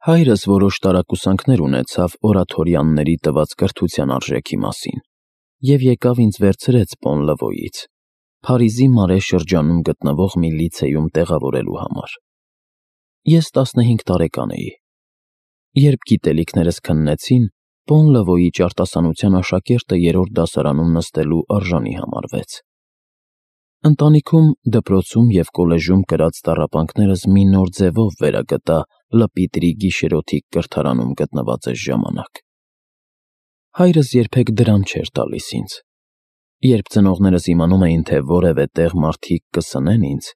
Հայրս որոշ տարակուսանքներ ունեցավ օրաթորյանների տված կրթության արժեքի մասին և եկավ ինձ վերցրեց Պոն-Լվոյից, Փարիզի Մարե շրջանում գտնվող մի լիցեյում տեղավորելու համար։ Ես 15 տարեկան էի։ Երբ գիտելիքներս քննեցին, Պոն-Լվոյի ճարտասանության աշակերտը 3-րդ դասարանում նստելու արժանի համարվեց։ Ընտանիքում, դպրոցում և կոլեժում կրած տառապանքներս մի նոր ձևով վերագտա Լպիտրի գիշերօթիկ կրթարանում գտնվածս ժամանակ։ Հայրս երբեք դրամ չէր տալիս ինձ։ Երբ ծնողներս իմանում էին, թե որևէ տեղ մարդիկ կսնեն ինձ,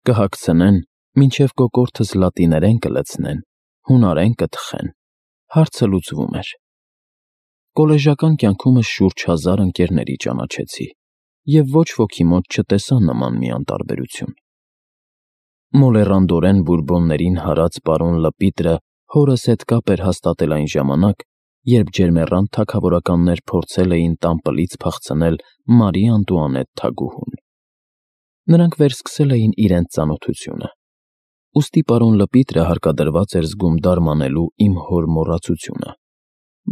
կհագցնեն, մինչև կոկորդս լատիներեն կլցնեն, հունարեն կթխեն, հարցը լուծվում էր։ Կոլեժական կյանքումս շուրջ 1000 ընկերների ճանաչեցի և ոչ ոքի մոտ չտեսա նման մի անտարբերություն։ Մոլեռանդորեն Բուրբոններին հարած պարոն Լպիտրը հորս հետ կապ էր հաստատել այն ժամանակ, երբ ջերմեռանդ թագավորականներ փորձել էին տանպլից փախցնել Մարի Անտուանետ թագուհուն։ Նրանք վերսկսել էին իրենց ծանոթությունը, ուստի պարոն Լպիտրը հարկադրված էր զգում դարմանելու իմ հոր մոռացությունը,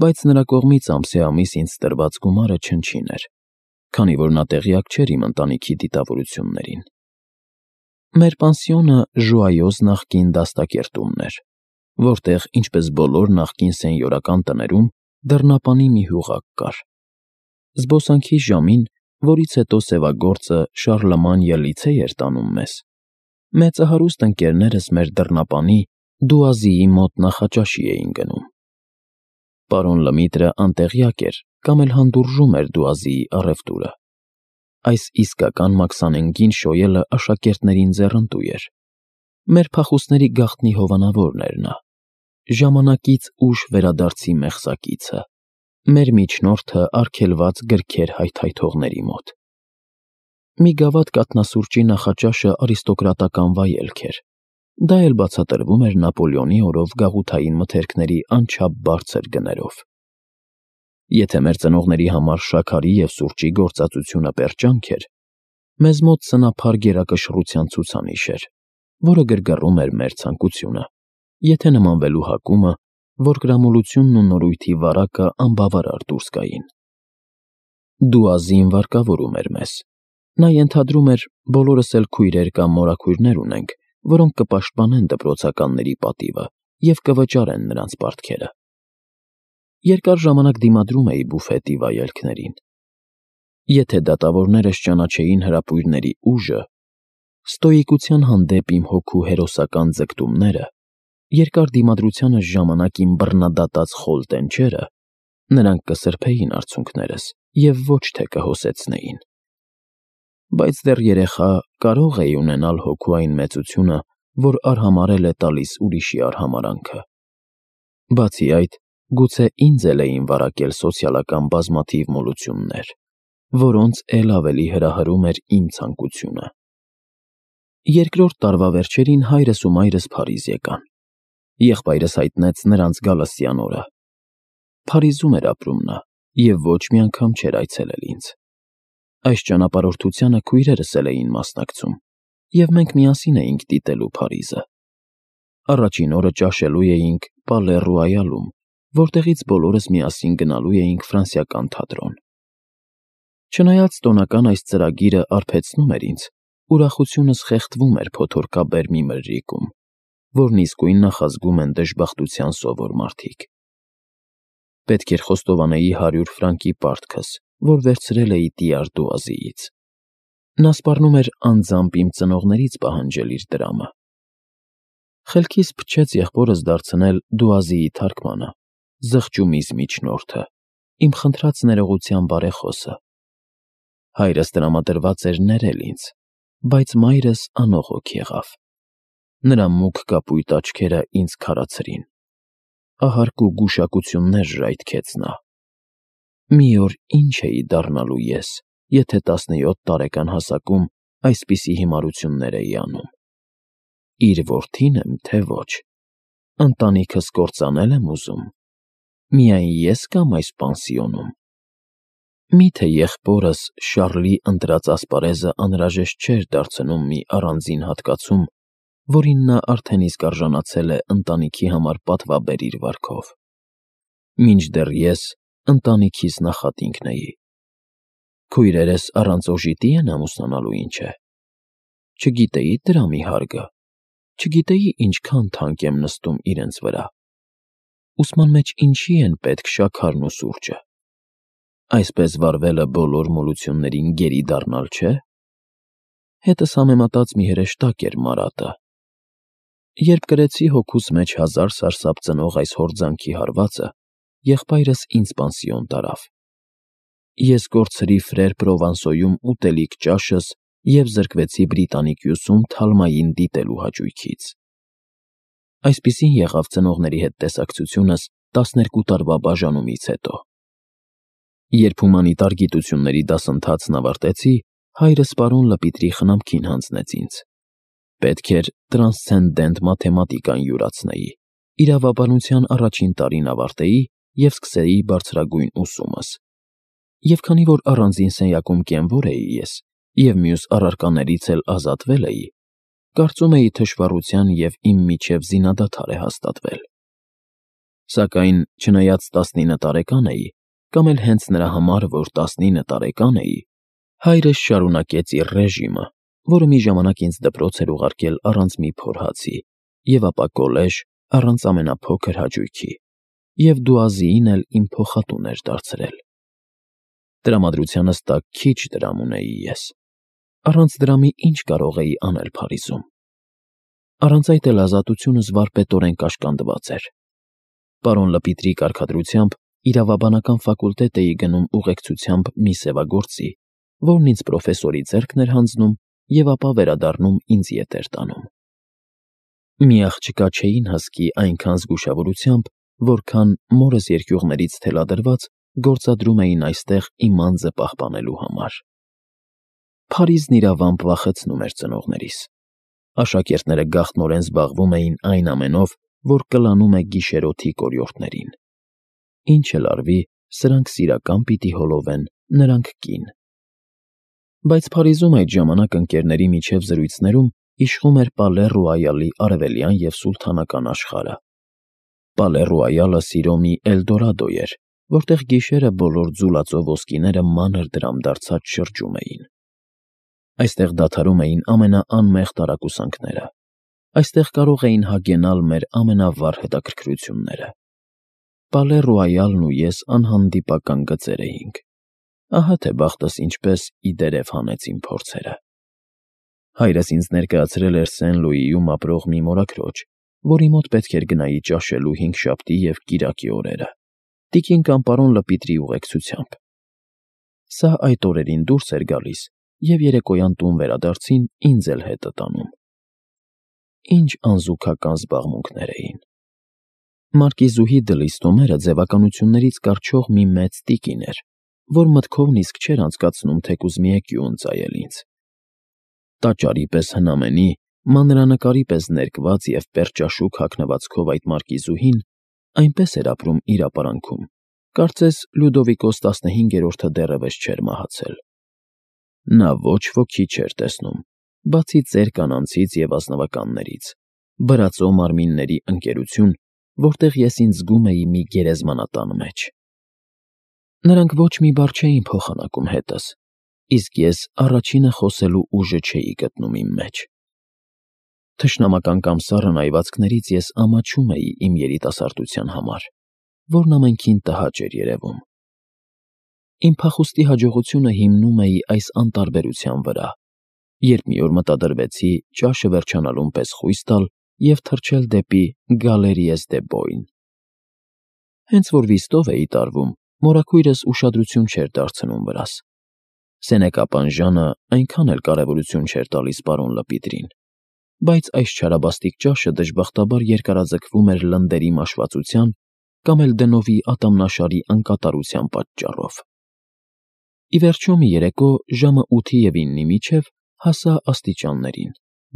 բայց նրա կողմից ամսե ամիս ինձ տրված գումարը չնչին էր, քանի որ նա տեղյակ չէր իմ ընտանիքի դիտավորություններին։ Մեր պանսիոնը Ժուայոզ նախկին դաստակերտումն էր, որտեղ, ինչպես բոլոր նախկին սենյորական տներում, դռնապանի մի հյուղակ կար։ Զբոսանքի ժամին, որից հետո սևագործը Շարլմանիա լիցեյ էր տանում մեզ, մեծահարուստ ընկերներս մեր դռնապանի Դուազիի մոտ նախաճաշի էին գնում։ Պարոն Լմիտրը անտեղյակ էր կամ էլ հանդուրժում էր Դուազիի առևտուրը։ Այս իսկական մաքսանենգին շոյելը աշակերտներին ձեռնտու էր։ Մեր փախուստների գաղտնի հովանավորն էր նա, ժամանակից ուշ վերադարձի մեղսակիցը, մեր միջնորդը արգելված գրքեր հայթայթողների մոտ։ Մի գավաթ կաթնասուրճի նախաճաշը արիստոկրատական վայելք էր, դա էլ բացատրվում էր Նապոլեոնի օրով գաղութային մթերքների անչափ բարձր գներով։ Եթե մեր ծնողների համար շաքարի և սուրճի գործածությունը պերճանք էր, մեզ մոտ սնափար գերակշռության ցուցանիշ էր, որը գրգռում էր մեր ցանկությունը, եթե նմանվելու հակումը, որ կրամոլությունն ու նորույթի վարակը անբավարար դուրս գային։ Դուազին վարկավորում էր մեզ։ Նա ենթադրում էր բոլորս էլ քույրեր կամ մորաքույրներ ունենք, որոնք կպաշտպանեն դպրոցականների պատիվը և կվճարեն նրանց պարտքերը։ Երկար ժամանակ դիմադրում էի բուֆետի վայելքներին։ Եթե դատավորներս ճանաչեին հրապույրների ուժը, ստոիկության հանդեպ իմ հոգու հերոսական ձգտումները, երկար դիմադրությանս ժամանակ իմ բռնադատած խոլ տենչերը, նրանք կսրբեին արցունքներս և ոչ թե կհոսեցնեին։ Բայց դեռ երեխա կարող էի ունենալ հոգու այն մեծությունը, որ արհամարհել է տալիս ուրիշի արհամարանքը։ Բացի այդ, գուցե ինձ էլ էին վարակել սոցիալական բազմաթիվ մոլություններ, որոնց էլ ավելի հրահրում էր իմ ցանկությունը։ Երկրորդ տարվա վերջերին հայրս ու մայրս Փարիզ եկան։ Եղբայրս հայտնեց նրանց գալստյան օրը։ Փարիզում էր ապրում նա և ոչ մի անգամ չէր այցելել ինձ։ Այս ճանապարհորդությանը քույրերս էլ էին մասնակցում, և մենք միասին էինք դիտելու Փարիզը։ Առաջին օրը ճաշելու էինք Պալե Ռոյալում, որտեղից բոլորս միասին գնալու էինք ֆրանսիական թատրոն։ Չնայած տոնական այս ծրագիրը արբեցնում էր ինձ, ուրախությունս խեղդվում էր փոթորկաբեր մի մրրիկում, որն իսկույն նախազգում են դժբախտության սովոր մարդիկ։ Պետք էր խոստովանեի 100 ֆրանկի պարտքս, որ վերցրել էի Տիար Դուազիից։ Նա սպառնում էր անձամբ իմ ծնողներից պահանջել իր դրամը։ Խելքիս փչեց եղբորս դարձնել Դուազիի թարգմանը, զղջումից միջնորդը, իմ խնդրած ներողության բարեխոսը։ Հայրս տրամադրված էր ներել ինձ, բայց մայրս անողոք եղավ։ Նրա մուգ կապույտ աչքերը ինձ քարացրին։ Ահարկ ու գուշակություններ ժայթքեց նա։ Մի օր ինչ էի դառնալու ես, եթե 17 տարեկան հասակում այսպիսի հիմարություններ էի անում։ Իր որդին եմ, թե ոչ։ Ընտանիքս կործանել եմ ուզում։ Միայն ես կամ այս պանսիոնում։ Միթե եղբորս Շառլի ընտրած ասպարեզը անհրաժեշտ չէր դարձնում մի առանձին հատկացում, որին նա արդեն իսկ արժանացել է ընտանիքի համար պատվաբերիր վարքով։ Մինչդեռ ես ընտանիքիս նախատինքն էի։ Քույրերս առանց օժիտի են ամուսնանալու, ինչ է։ Չգիտեի դրամի հարգը, չգիտեի ինչքան թանկ եմ նստում իրենց վրա։ Ուսման մեջ ինչի են պետք շաքարն ու սուրճը։ Այսպես վարվելը բոլոր մոլություններին գերի դառնալ չէ։ Հետս համեմատած մի հրեշտակ էր Մարատը։ Երբ կրեցի հոգուս մեջ 1000 սարսափ ծնող այս հորձանքի հարվածը, եղբայրս ինձ պանսիոն տարավ։ Ես կորցրի Ֆրեր Պրովանսոյում ուտելիք ճաշս և զրկվեցի Բրիտանիկյուսում Թալմային դիտելու հաճույքից։ Այսպիսին եղավ ծնողների հետ տեսակցությունս 12 տարվա բաժանումից հետո։ Երբ հումանիտար գիտությունների դասընթացն ավարտեցի, հայրս պարոն Լպիտրի խնամքին հանձնեց ինձ։ Պետք էր տրանսցենդենտ մաթեմատիկան յուրացնեի, իրավաբանության առաջին տարին ավարտեի և սկսեի բարձրագույն ուսումս։ Եվ քանի որ առանձին սենյակում կենվոր էի ես, և մյուս առարկաներից էլ ազատվել էի, կարծում էի թշվառության և իմ միջև զինադադար է հաստատվել։ Սակայն, չնայած 19 տարեկան էի, կամ էլ հենց նրա համար, որ 19 տարեկան էի, հայրս շարունակեց իր ռեժիմը, որը մի ժամանակ ինձ դպրոց էր ուղարկել առանց մի փոր հացի, և ապա կոլեժ առանց ամենափոքր հաճույքի, և դուազիին էլ իմ փոխատուն էր դարձրել։ Տրամադրությանս տակ քիչ դրամ ունեի ես։ Առանց դրամի ինչ կարող էի անել Փարիզում։ Առանց այդ էլ ազատությունս վարպետորեն կաշկանդված էր։ Պարոն Լպիտրի կարգադրությամբ իրավաբանական ֆակուլտետ էի գնում ուղեկցությամբ մի սևագործի, որն ինձ պրոֆեսորի ձեռքն էր հանձնում և ապա վերադառնում ինձ ետ էր տանում։ Մի աղջկա չէին հսկի այնքան զգուշավորությամբ, որքան մորս երկյուղներից թելադրված գործադրում էին այստեղ իմ անձը պահպանելու համար։ Փարիզն իրավամբ վախեցնում էր ծնողներիս։ Աշակերտները գաղտնորեն զբաղվում էին այն ամենով, որ կլանում է գիշերօթի կորյորտներին։ Ինչ էլ արվի, սրանք սիրական պիտի հոլովեն, նրանք կին։ Բայց Փարիզում այդ ժամանակ ընկերների միջև զրույցներում իշխում էր Պալե Ռոյալի արևելյան և սուլթանական աշխարհը։ Պալե Ռոյալը սիրո մի Էլդորադո էր, որտեղ գիշերը բոլոր ձուլածո ոսկիները մանր դրամդարձած շրջում էին։ Այստեղ դադարում էին ամենաանմեղ տարակուսանքները։ Այստեղ կարող էին հագենալ մեր ամենավառ հետաքրքրությունները։ Պալե Ռոյալն ու ես անհանդիպական գծեր էինք։ Ահա թե բախտս ինչպես ի դերև հանեց իմ փորձերը։ Հայրս ինձ ներկայացրել էր Սեն-Լուիում ապրող մի մորաքրոջ, որի մոտ պետք էր գնայի ճաշելու հինգշաբթի և կիրակի օրերը, տիկին կամ պարոն Լպիտրի ուղեկցությամբ։ Սա այդ օրերին դուրս էր գալիս և երեկոյան տուն վերադարձին ինձ էլ հետը տանում։ Ինչ անզուգական զբաղմունքներ էին։ Մարկիզուհի Դլիստոմերը ձևականություններից կառչող մի մեծ տիկին էր, որ մտքովն իսկ չէր անցկացնում թեկուզ մի էկյու ընծայել ինձ։ Տաճարի պես հնամենի, մանրանկարի պես ներկված և պերճաշուք հագնվածքով այդ մարկիզուհին այնպես էր ապրում իր ապարանքում, կարծես Լյուդովիկոս 15-րդը դեռևս չէր մահացել։ Նա ոչ ոքի չէր տեսնում, բացի ծեր կանանցից և ազնվականներից, բրածո մարմինների ընկերություն, որտեղ ես ինձ զգում էի մի գերեզմանատան մեջ։ Նրանք ոչ մի բառ չէին փոխանակում հետս, իսկ ես առաջինը խոսելու ուժը չէի գտնում իմ մեջ։ Թշնամական կամ սառն այվածքներից ես ամաչում էի իմ երիտասարդության համար, որն ամենքին տհաճ էր երևում։ Իմ փախուստի հաջողությունը հիմնում էի այս անտարբերության վրա, երբ մի օր մտադրվեցի ճաշը վերջանալուն պես խույս տալ և թռչել դեպի Գալերիես դե Բոյն։ Հենց որ վիստով էի տարվում, մորաքույրս ուշադրություն չէր դարձնում վրաս։ Սենեկա Պանժանը այնքան էլ կարևորություն չէր տալիս պարոն Լպիտրին, բայց այս չարաբաստիկ ճաշը դժբախտաբար երկարաձգվում էր լնդերի մաշվածության կամ էլ դնովի ատամնաշարի անկատարության պատճառով։ Ի վերջո մի երեկո ժամը 8-ի և 9-ի միջև հասա աստիճաններին,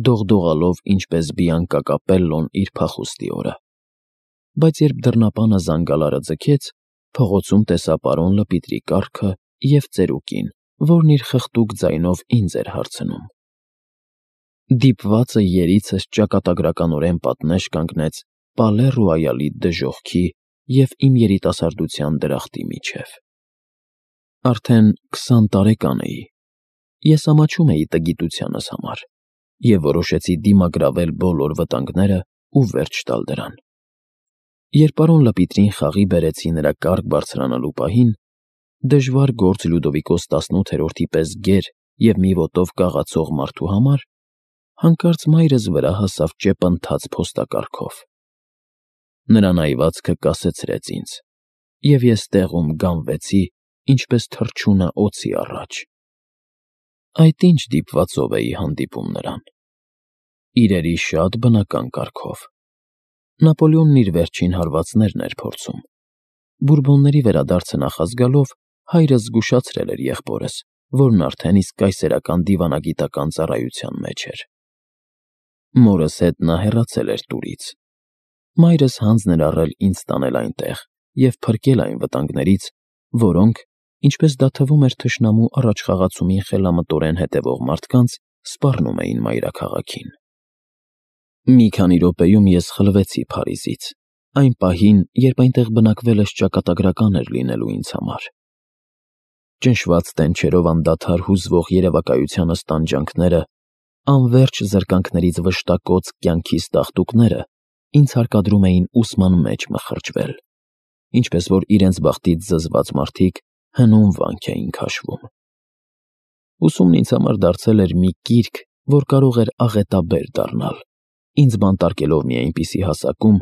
դողդողալով ինչպես Բիանկա Կապելլոն իր փախուստի օրը։ Բայց երբ դռնապանը զանգալարը ձգեց, փողոցում տեսա պարոն Լպիտրի կառքը և ծերուկին, որն իր խղտուկ ձայնով ինձ էր հարցնում։ Դիպվածը երիցս ճակատագրականորեն պատնեշ կանգնեց Պալե Ռոյալի դժոխքի և իմ երիտասարդության դրախտի միջև։ Արդեն 20 տարեկան էի։ Ես ամաչում էի տգիտությանս համար և որոշեցի դիմագրավել բոլոր վտանգները ու վերջ տալ դրան։ Երբ պարոն Լպիտրին խաղի բերեցի նրա կառք բարձրանալու պահին, դժվար գործ Լյուդովիկոս 18-րդի պես գեր և մի ոտով կաղացող մարդու համար, հանկարծ մայրս վրա հասավ ճեպընթաց փոստակառքով։ Նրա նայվածքը կասեցրեց ինձ, և ես տեղում գամվեցի, ինչպես թռչունը օձի առաջ։ Այդ ինչ դիպվածով էի հանդիպում նրան։ Իրերի շատ բնական կարգով։ Նապոլեոնն իր վերջին հարվածներն էր փորձում։ Բուրբոնների վերադարձը նախազգալով հայրս զգուշացրել էր եղբորս, որն արդեն իսկ կայսերական դիվանագիտական ծառայության մեջ էր։ Մորս հետ նա հեռացել էր տուրից։ Մայրս հանձն էր առել ինձ տանել այնտեղ և փրկել այն վտանգներից, որոնք, ինչպես դա թվում էր թշնամու առաջխաղացումին խելամտորեն հետևող մարդկանց, սպառնում էին մայրաքաղաքին։ Մի քանի րոպեում ես խլվեցի Փարիզից, այն պահին, երբ այնտեղ բնակվելս ճակատագրական էր լինելու ինձ համար։ Ճնշված տենչերով անդադար հուզվող երևակայությանս տանջանքները, անվերջ զրկանքներից վշտակոծ կյանքիս տաղտուկները ինձ հարկադրում էին ուսման մեջ մխրճվել, ինչպես որ իրենց բախտից զզված մարդիկ հնում վանք էին քաշվում։ Ուսումն ինձ համար դարձել էր մի կիրք, որ կարող էր աղետաբեր դառնալ, ինձ բանտարկելով մի այնպիսի հասակում,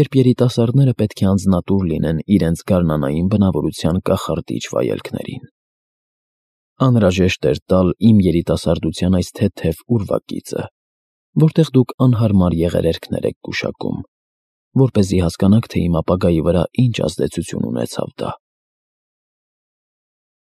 երբ երիտասարդները պետք է անձնատուր լինեն իրենց գարնանային բնավորության կախարդիչ վայելքներին։ Անհրաժեշտ էր տալ իմ երիտասարդության այս թեթև ուրվագիծը, որտեղ դուք անհարմար եղերերքներ եք գուշակում, որպեսզի հասկանաք, թե իմ ապագայի վրա ինչ ազդեցություն ունեցավ դա։